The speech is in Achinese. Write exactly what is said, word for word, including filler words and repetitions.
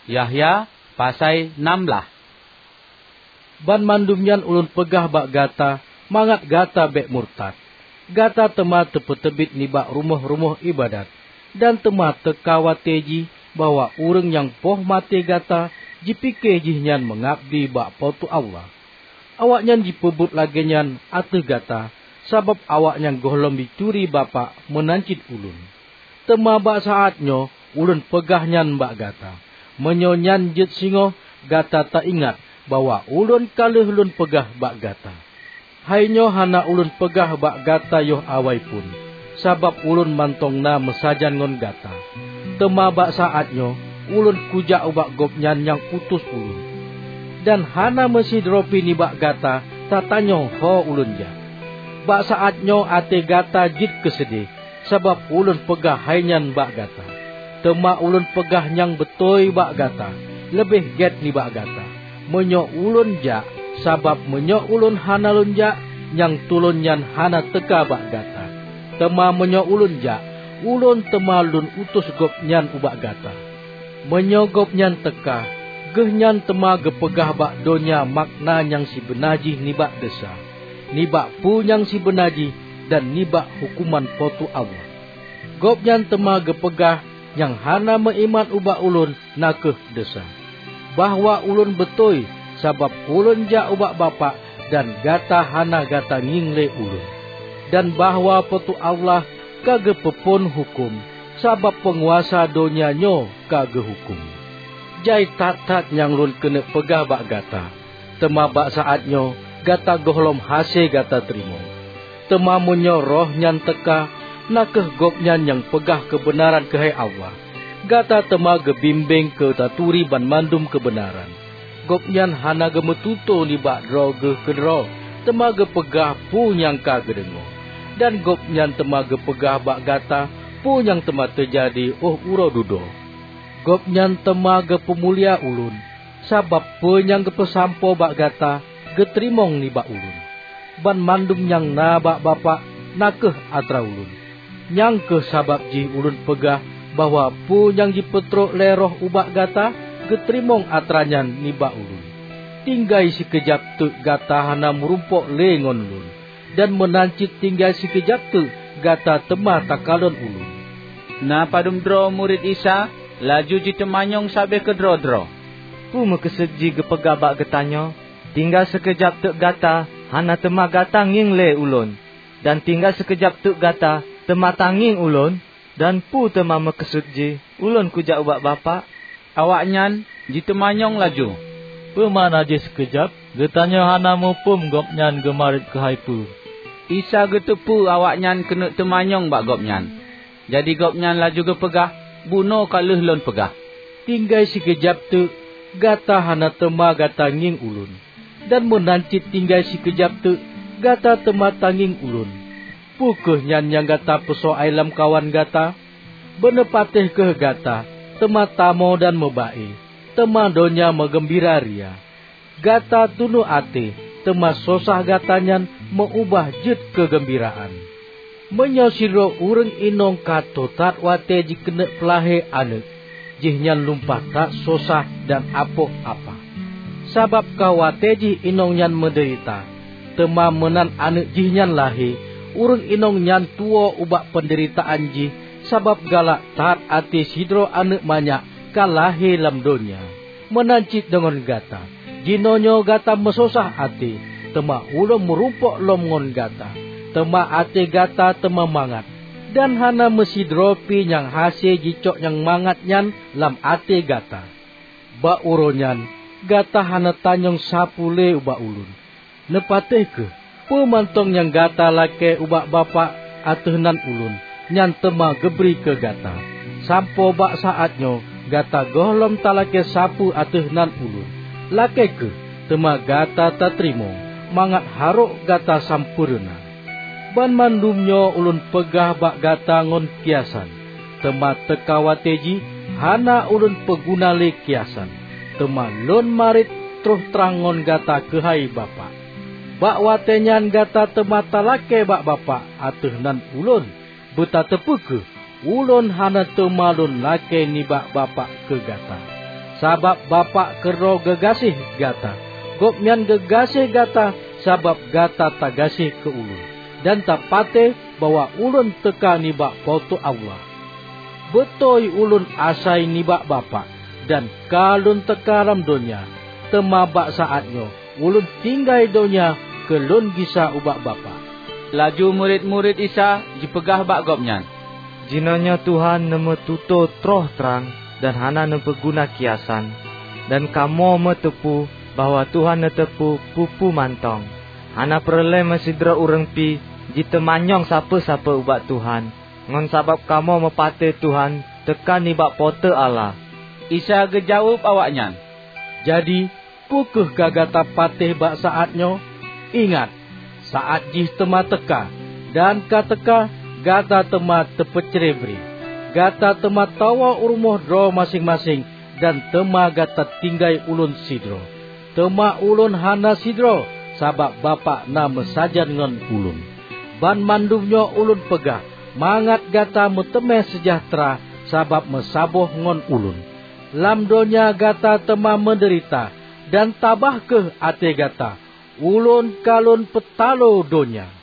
Yahya pasai nam blaih. Banmandum nyan ulôn peugah bak gata mangat gata bék murtad. Gata teuma teupeuteubiet nibak rumoh-rumoh iébadat, dan teuma teuka watée jih bahwa ureuëng nyang poh maté gata jipike jihnyan meungabdi bak Po teu Allah. Awaknyan jipeubuet lagée nyan ateueh gata, sabab awaknyan gohlom jituri Bapak meunan cit ulôn. Teuma bak saát nyoe ulôn peugah nyan bak gata, meunyoe nyan jeuet singoh gata taingat bahwa ulôn ka lheueh lôn peugah bak gata. Hai nyoe hana ulôn peugah bak gata yoh awai phon, sabab ulôn mantong na meusajan ngon gata. Teuma bak saát nyoe ulôn kujak ubak Gobnyan nyang utus ulôn, dan hana meusidroe pih nibak gata tatanyong ho ulôn jak. Bak saát nyoe até gata jeuet keuseudeh, sabab ulôn peugah hai nyan bak gata. Teuma ulôn peugah nyang beutôi bak gata, leubeh gét nibak gata, meunyoe ulôn jak, sabab meunyoe ulôn hana lôn jak, nyang tulôn nyan hana teuka bak gata. Teuma meunyoe ulôn jak, ulôn teuma lôn utus Gobnyan ubak gata. Meunyoe Gobnyan teuka, Geuhnyan teuma geupeugah bak donya makna nyang sibeuna jih nibak desya, nibak peue nyang sibeuna jih, dan nibak huköman Po teu Allah. Gobnyan teuma geupeugah nyang hana meuiman ubak ulôn na kheueh desya, bahwa ulôn beutôi, sabab ulôn jak ubak Bapak dan gata hana gata ngieng lé ulôn, dan bahwa Po teu Allah ka geupeuphon huköm, sabab peunguasa donya nyoe ka geuhuköm. Jai that-that nyang lôn keuneuk peugah bak gata, teuma bak saát nyoe gata gohlom hase gata teurimong. Teuma meunyoe Roh nyan teuka, na kheueh Gobnyan nyang peugah keubeunaran keuhai Allah, gata teuma geubimbéng keu taturi banmandum keubeunaran. Gobnyan hana geumeututoe nibak droe geuh keudroe, teuma geupeugah peue nyang ka geudeungoe. Dan Gobnyan teuma geupeugah bak gata peue nyang teuma teujadi óh uroe dudoe. Gobnyan teuma geupeumulia ulôn, sabab peue nyang geupeusampoe bak gata geuteurimong nibak ulôn. Banmandum nyang na bak Bapak na kheueh atra ulôn. Nyang kheueh sabab jih ulôn peugah bahwa peue nyang jipeutrok lé Roh ubak gata geuteurimong atra nyan nibak ulôn. Tinggai sikeujab teuk gata hana meurumpok lé ngon lôn, dan meunan cit tinggai sikeujab teuk gata teuma takalon ulôn. Na padum droe murit Isa laju jiteumanyong sabe keudroe-droe, "Peue meukeusut jih geupeugah bak geutanyoe, 'Tinggai sikeujab teuk gata hana teuma gata ngieng lé ulôn, dan tinggai sikeujab teuk gata teuma tangieng ulôn'? Dan peue teuma meukeusut jih, 'Ulôn kujak ubak Bapak'?" Awaknyan jiteumanyong laju, "Peue makna jih sikeujab? Geutanyoe hana muphom Gobnyan geumarit keuhai peue." Isa geuteupeue awaknyan keuneuk teumanyong bak Gobnyan. Jadi Gobnyan laju geupeugah, "Bunoe ka lheueh Lôn peugah, 'Tinggai sikeujab teuk gata hana teuma gata ngieng Ulôn, dan meunan cit tinggai sikeujab teuk gata teuma tangieng Ulôn.' Peu kheueh nyan nyang gata peusoai lamkawan gata? Beuneupatéh kheueh gata, teuma tamoe dan meuba-e, teuma donya meugeumbira ria. Gata tunoh até, teuma sosah gata nyan meu-ubah jeuet keu geumbiraan. Meunyoe sidroe ureuëng inong ka tho that watée jikeuneuk peulahé aneuëk, jihnyan lumpah that sosah dan apoh apa. Sabab ka watée jih inong nyan meudeurita, teuma meunan aneuëk jihnyan lahé, ureuëng inong nyan tuwoe ubak peundeuritaan jih, sabab galak that até sidroe aneuëk manyak ka lahé lam donya. Meunan cit deungon gata. Jinoenyoe gata meusosah até, teuma Ulôn meurumpok lom ngon gata, teuma até gata teuma mangat, dan hana meusidroe pih nyang hase jicok nyang mangat nyan lam até gata. Bak uroe nyan gata hana tanyong sapeue lé ubak Ulôn. Neupatéh kheueh, peue mantong nyang gata lakée ubak Bapak ateueh nan Ulôn, nyan teuma geubri keu gata. Sampoe bak saát nyoe gata gohlom talakée sapeue ateueh nan Ulôn. Lakée kheueh, teuma gata tateurimong, mangat harok gata sampoereuna. Banmandum nyoe Ulôn peugah bak gata ngon kiasan, teuma teuka watée jih hana Ulôn peuguna lé kiasan, teuma Lôn marit troh trang ngon gata keuhai Bapak. Bak watée nyan gata teuma talakée bak Bapak ateueh nan Ulôn. Beutateupeue kheueh, Ulôn hana teuma Lôn lakée nibak Bapak keu gata. sabab Bapak keudroe geugaséh gata. Gobnyan geugaséh gata sabab gata tagaséh keu Ulôn, dan tapatéh bahwa Ulôn teuka nibak Po teu Allah. Beutôi Ulôn asai nibak Bapak, dan ka Lôn teuka lam donya, teuma bak saát nyoe Ulôn tinggai donya keu Lôn gisa ubak Bapak." Laju murit-murit Isa jipeugah bak Gobnyan, "Jinoenyoe Tuhan neumeututoe troh trang dan hana neupeuguna kiasan, dan kamoe meuteupeue bahwa Tuhan neuteupeue peue-peue mantong. Hana peureulée meusidroe ureuëng pih jiteumanyong sapeue-sapeue ubak Tuhan, ngon sabab kamoe meupatéh Tuhan teuka nibak Po teu Allah." Isa geujaweueb awaknyan, "Jadi, peu kheueh ka gata patéh bak saát nyoe? Ingat, saát jih teuma teuka, dan ka teuka gata teuma teupeucré-bré. Gata teuma tawoe u rumoh droe maséng-maséng, dan teuma gata tinggai Ulôn sidroe. Teuma Ulôn hana sidroe, sabab Bapak na meusajan ngon Ulôn. Banmandum nyoe Ulôn peugah mangat gata meuteumé seujahteura sabab meusaboh ngon Ulôn. Lam donya gata teuma meudeurita, dan tabah kheueh até gata. Ulôn ka Lôn peutaloe donya."